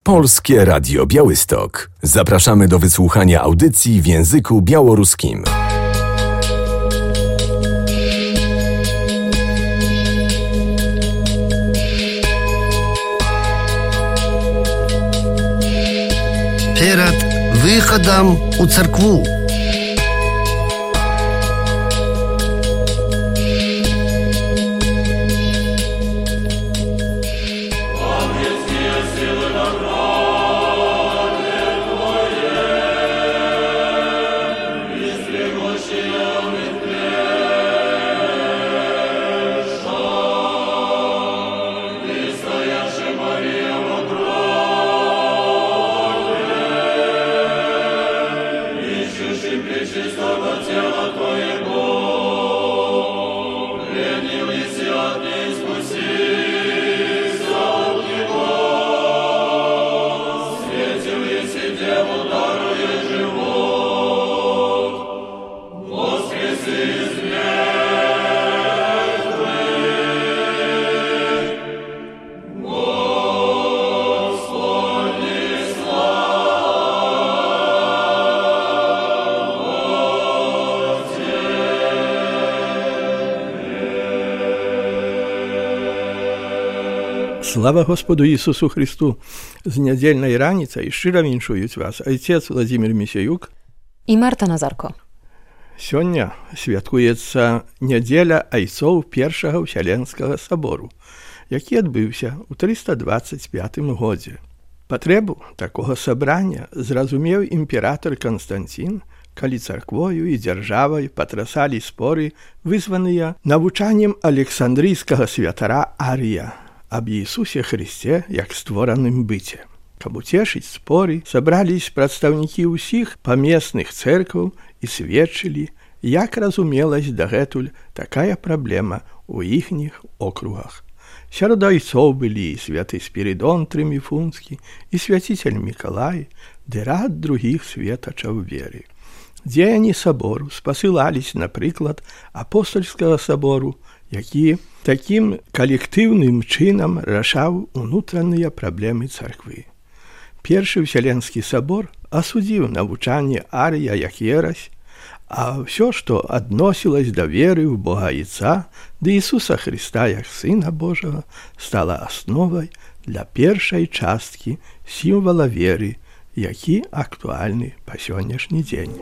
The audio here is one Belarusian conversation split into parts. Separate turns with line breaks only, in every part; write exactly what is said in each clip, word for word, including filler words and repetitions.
Polskie Radio Białystok. Zapraszamy do wysłuchania audycji w języku białoruskim.
Перед выходом у церкву.
Слава Господу Ісусу Христу! З нядзельнай раніцай шчыра віншуюць вас айцец Владзімір Місяюк
і Марта Назарко.
Сёння святкуецца нядзеля айцоў Першага Ўсяленскага сабору, які адбыўся ў трыста дваццаць пятым годзе. Патрэбу такога сабрання зразумеў імператор Канстанцін, калі царквою і дзяржавай патрасалі споры, вызваныя навучаннем александрыйскага святара Арія аб Иисусе Христе як створаным быце. Каб уцешыць споры, сабрались прадстаўнікі ўсіх памесных цэркваў і сведчылі, як разумелась дагэтуль такая праблема ў іхніх округах. Сярод айцоў былі і святы Спірідон Трыміфунскі, і свяціцель Мікалай, ды рад другіх светачаў веры. Дзеянні сабору спасылались, напрыклад, апостольскага сабору, які такім калектыўным чынам рашаў унутраныя праблемы царквы. Першы Ўсяленскі сабор асудзіў навучанне Арія як ерась, а ўсё, што адносілась да веры ў Бога Айца, ды Ісуса Христа як Сына Божага, стала асновай для першай часткі сімвала веры, які актуальны па сённяшні дзень.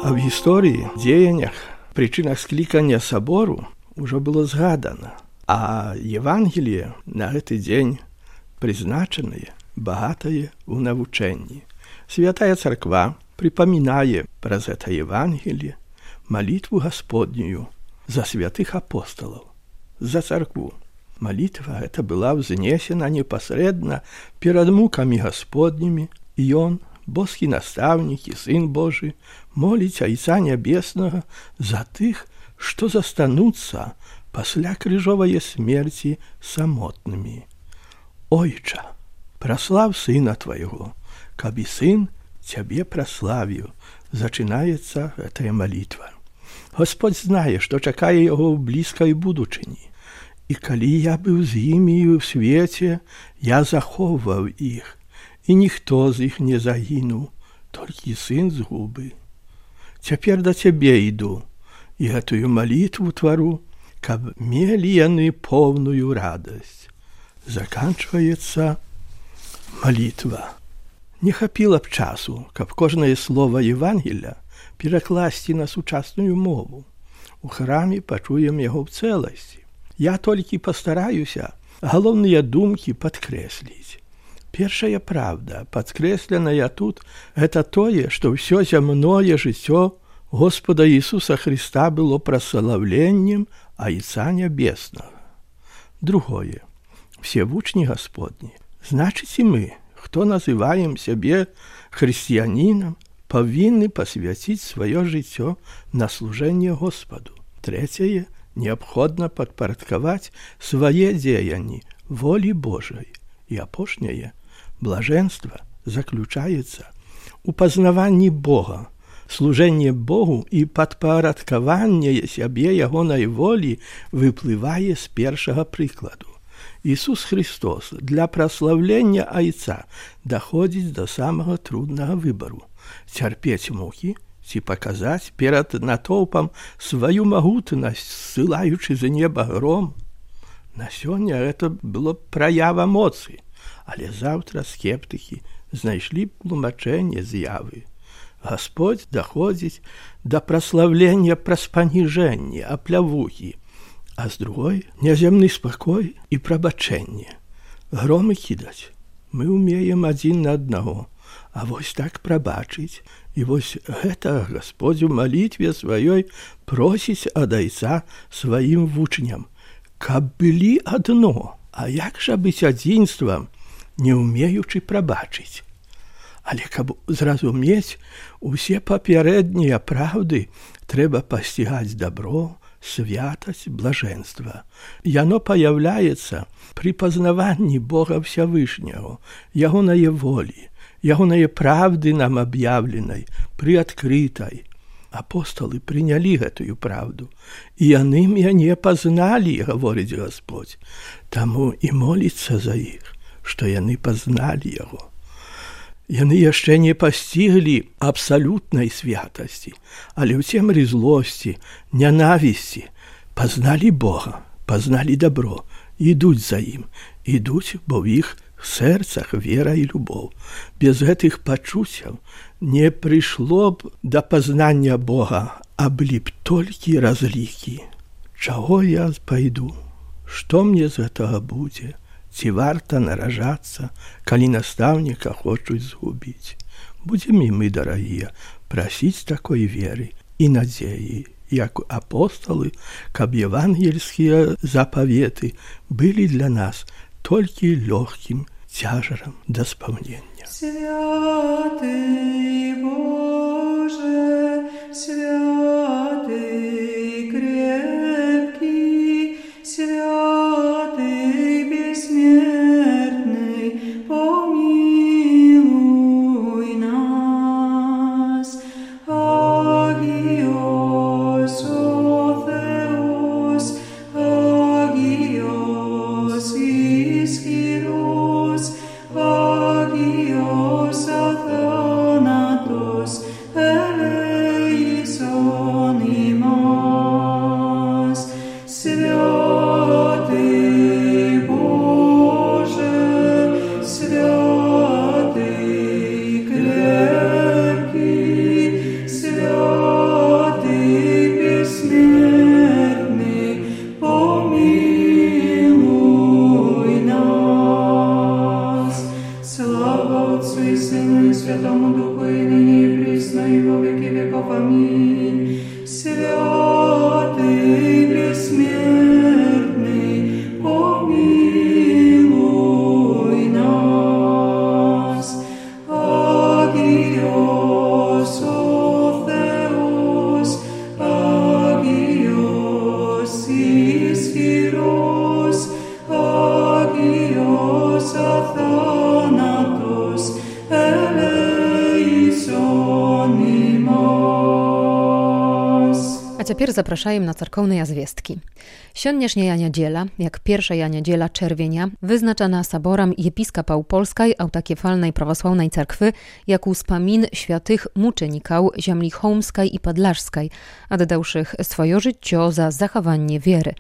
А в гісторыі, дзеяннях, прычынах склікання сабору ўжо было згадана, а Евангелие на гэты дзень прызначанае, багатае ў навучэнні. Святая царква прыпамінае праз гэта Евангелие малітву Гасподнюю за святых апосталаў, за царкву. Малітва гэта была ўзнесена непасрэдна перад мукамі Гасподнімі, і ён, боскі настаўнік і Сын Божы, моліць Айца Нябеснага за тых, што застануцца пасля крыжовае смерці самотнымі. Ойча, праслав Сына Твайго, каб і Сын Цябе праславіў, зачынаецца гэтая малітва. Господь знае, што чакае яго ў блізкай будучыні. І калі я быў з імі ў свеце, я захоўваў іх, і ніхто з іх не загінуў, толькі сын згубы. Цяпер да Цябе іду, і гэтую малітву твару, каб мелі яны поўную радасць. Заканчваецца малітва. Не хапіла б часу, каб кожнае слова Евангелля перакласці на сучасную мову. У храме пачуем яго ў цэласці. Я толькі пастараюся галоўныя думкі падкрэсліць. Першая правда, падкрэсленая тут, гэта тое, што ўсё зямное жыццё Господа Ісуса Христа было праславленнем Айца Нябеснага. Другое. Все вучні Господні. Значыць, і мы, хто называем сябе хрысціянінам, павінны пасвяціць сваё жыццё на служэнне Господу. Трэцяе. Неабходна падпарадкаваць свае дзеянні волі Божай. І апошняе. Блажэнства заключаецца у пазнаванні Бога. Служэнне Богу і падпарадкаванне сябе ягонай волі выплывае з першага прыкладу. Ісус Христос для праславлення Айца даходзіць да самага труднага выбару. Цярпець мукі ці паказаць перад натоўпам сваю магутнасць, ссылаючы з неба гром. На сёння гэта было праява моцы, але заўтра скептыкі знайшлі тлумачэнне з'явы. Гасподзь даходзіць да праславлення праз паніжэнне, аплявухі, а з другой няземны спакой і прабачэнне. Громы кідаць мы ўмеем адзін на аднаго, а вось так прабачыць, і вось гэта Гасподзь у малітве сваёй просіць ад Айца сваім вучням, каб былі адно, а як жа быць адзінствам, не ўмеючы прабачыць. Але каб зразумець усе папярэднія праўды, трэба пасцігаць дабро, святасць, блажэнства. Яно паяўляецца пры пазнаванні Бога Всявышняго, ягонае волі, ягонае правды нам аб'яўленай, прыадкрытай. Апосталы прынялі гэтую праўду, і яны мяне пазналі, гаворыць Гасподзь. Таму і моліцца за іх, што яны пазналі яго. Яны яшчэ не пасціглі абсалютнай святасці, але ў цемры злосці, нянавісці пазналі Бога, пазналі дабро, ідуць за ім, ідуць, бо ў іх сэрцах вера і любоў. Без гэтых пачуццяў не прыйшло б да пазнання Бога, а былі б толькі разлікі. Чаго я пайду? Што мне з гэтага будзе? Ці варта наражацца, калі настаўніка хочуць згубіць? Будзем і мы, дарагія, прасіць такой веры і надзеі, як апосталы, каб евангельскія запаветы былі для нас толькі лёгкім цяжарам да спаўнення.
Святый Боже, святый крепкий, святый бессмертный, помилуй нас. Агиос о Θεός, Агиос Ισχυρός, Άγιος αθάνατος, ελέησον ημάς. Святый Боже, святый крепкий, святый бессмертный, помилуй нас. Слава Отцу и Сыну и Святому Духу, и ныне и присно, и во веки веков. Аминь. Святый бессмертный, помилуй нас. Агиос о Θεός, Άγιος Ισχυρός, Άγιος αθάνατος, ελέησον ημάς.
A цяпер запрашаем на царкоўныя звесткі. Сённяшняя нядзела, як першая нядзела czerwienia, wyznaczana saborem episkopał Polskiej Autokefalnej Prawosławnej Cerkwy jako wspomin świętych muczeników ziemi chełmskiej i podlażskiej, oddałszych swoje życie za zachowanie wiery.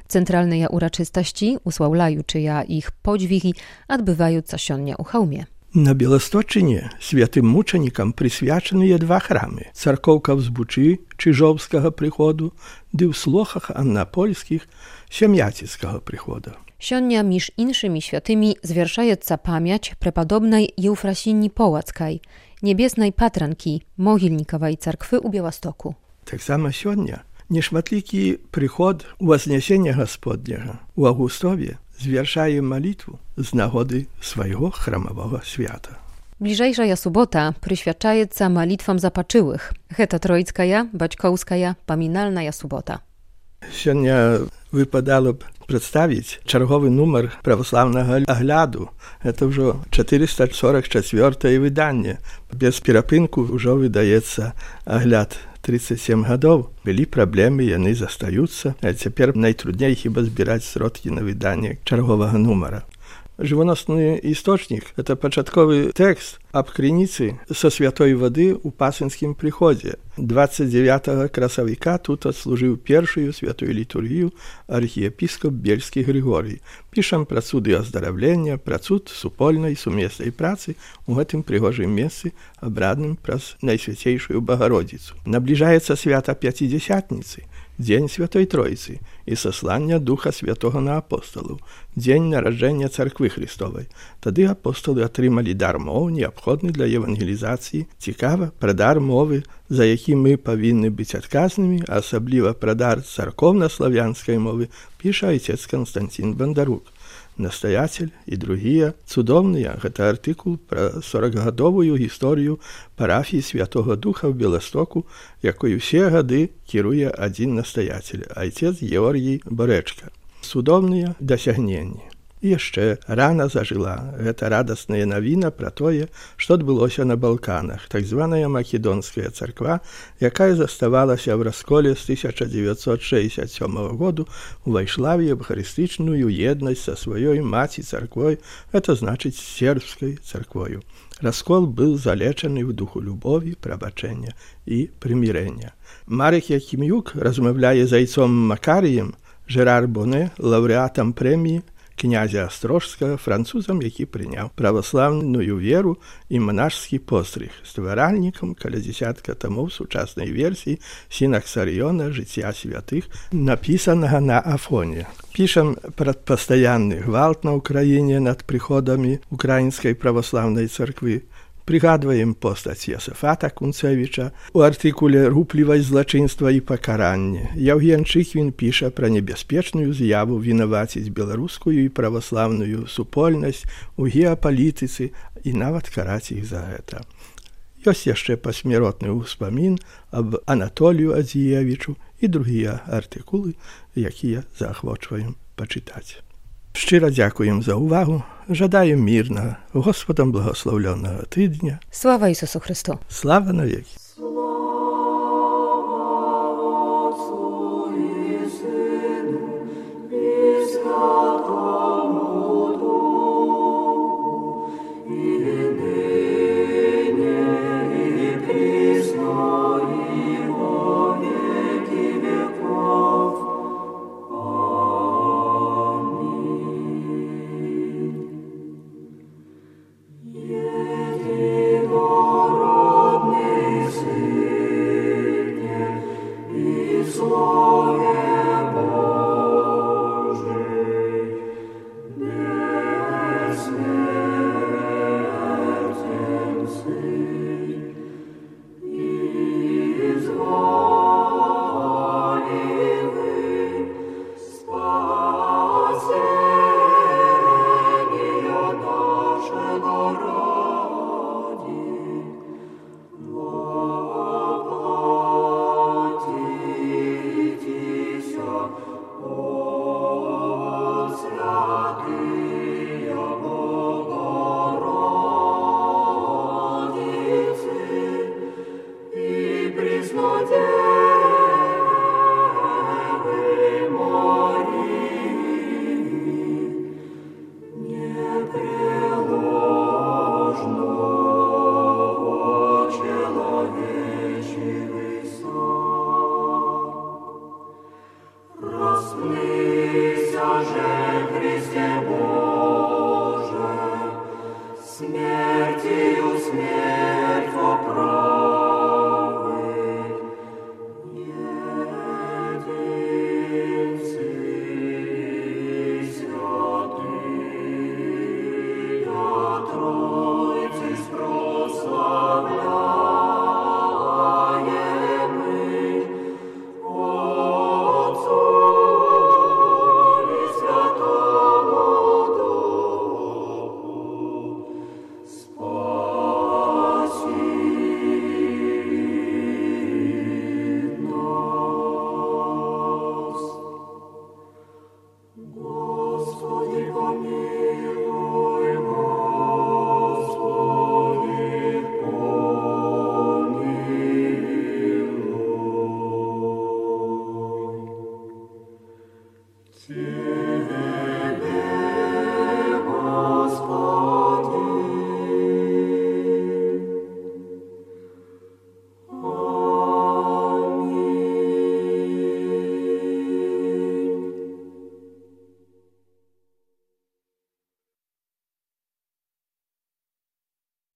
Centralne uroczystości, usławlajuczyja ich podźwigi, odbywające się u Chełmie.
На Беласточыне святым мучанікам прысвячаныя два храмы: царкоўка ў Збучы чыжоўскага прыходу ды ў Слохах аннапольскіх сям'яціцкага прыхода.
Сёння між іншымі святымі звяршаецца памяць преподобнай Еўфрасіні Поłацкай, небеснай патранкі Могільнікавай царквы ў Беластоку.
Таксама сёння нешматлікі прыход Вознесення Господняга у Августове звяршае малітву з нагоды свайго храмавога свята.
Bliżejsza subota przyświadczaється malitwom zapaczyłych. Гэта Троицкая, Бацькоўская, памінальная субота.
Сёння выпадало б прадставіць чарговы нумар праваслаўнага агляду. Это ўжо чатырыста сорок чацвёртае выданне. Без перапынку ўжо выдаецца агляд тридцать семь гадоў. Былі праблемы, яны застаюцца. А цяпер найтрудней хіба збіраць сродкі на выданне чарговага нумара. Жывоносны істочнік – это пачатковы тэкст аб крыніцы са святой вады ў пасынскім прыходзе. двадцать девятого красавіка тут адслужыў першую святую літургію архіепіскоп Бельскі Григорый. Пішам пра цуды аздараўлення, пра цуд супольнай сумеснай працы у гэтым прыгожым месцы, абрадным праз Найсвяцейшую Багародзіцу. Набліжаецца свята Пяцідзясятніцы, дзень Святой Троіцы і саслання Духа Святога на апосталаў, дзень нараджэння Царквы Христовай. Тады апосталы атрымалі дар моў, неабходны для евангелізацыі. Цікава, пра дар мовы, за які мы павінны быць адказнымі, а асабліва пра дар царкоўна-славянскай мовы, піша айцец Канстантин Бандарук. Настоятель і другія цудоўныя. Гэта артыкул пра сорокгадовую гісторыю парафіі Святога Духа ў Беластоку, якой усе гады кіруе адзін настоятель, айцец Георгій Борэчка. Цудоўныя дасягненні. І яшчэ рана зажыла. Гэта радасная навіна пра тое, што адбылося на Балканах. Так званая Македонская царква, якая заставалася ў расколе з тысяча дзевяцьсот шэсцьдзясят сёмага году, увайшла в евхарыстычную еднасць са сваёй маці царквой, это значыць сербскай царквою. Раскол быў залечаны ў духу любові, прабачэння і прымірэння. Марек Якім'юк размаўляе з айцом Макарыем, Жерар Боне, лаўрэатам прэміі князя Астрожскага, французам, які прыняў праваслаўную веру і манашскі пострыг, стваральнікам каля дзесятка тамоў сучаснай версіі Сінаксарыёна «Жыцця святых», напісанага на Афоне. Пішам пра пастаянны гвалт на ўкраіне над прыходамі украінскай праваслаўнай царквы. Прыгадваем постаць Ясафата Кунцевіча у артыкуле «Руплівасць злачынства і пакаранне». Яўген Чыхвін піша пра небяспечную з'яву вінаваціць беларускую і праваслаўную супольнасць у геапалітыцы і нават караць іх за гэта. Ёсць яшчэ пасмяротны ўспамін аб Анатолію Адзіевічу і другія артыкулы, якія заахвочваем пачытаць. Шчыра дзякуем за ўвагу, жадаем мірнага, Господам благословленого тыдня.
Слава Ісусу Христу!
Слава навеки!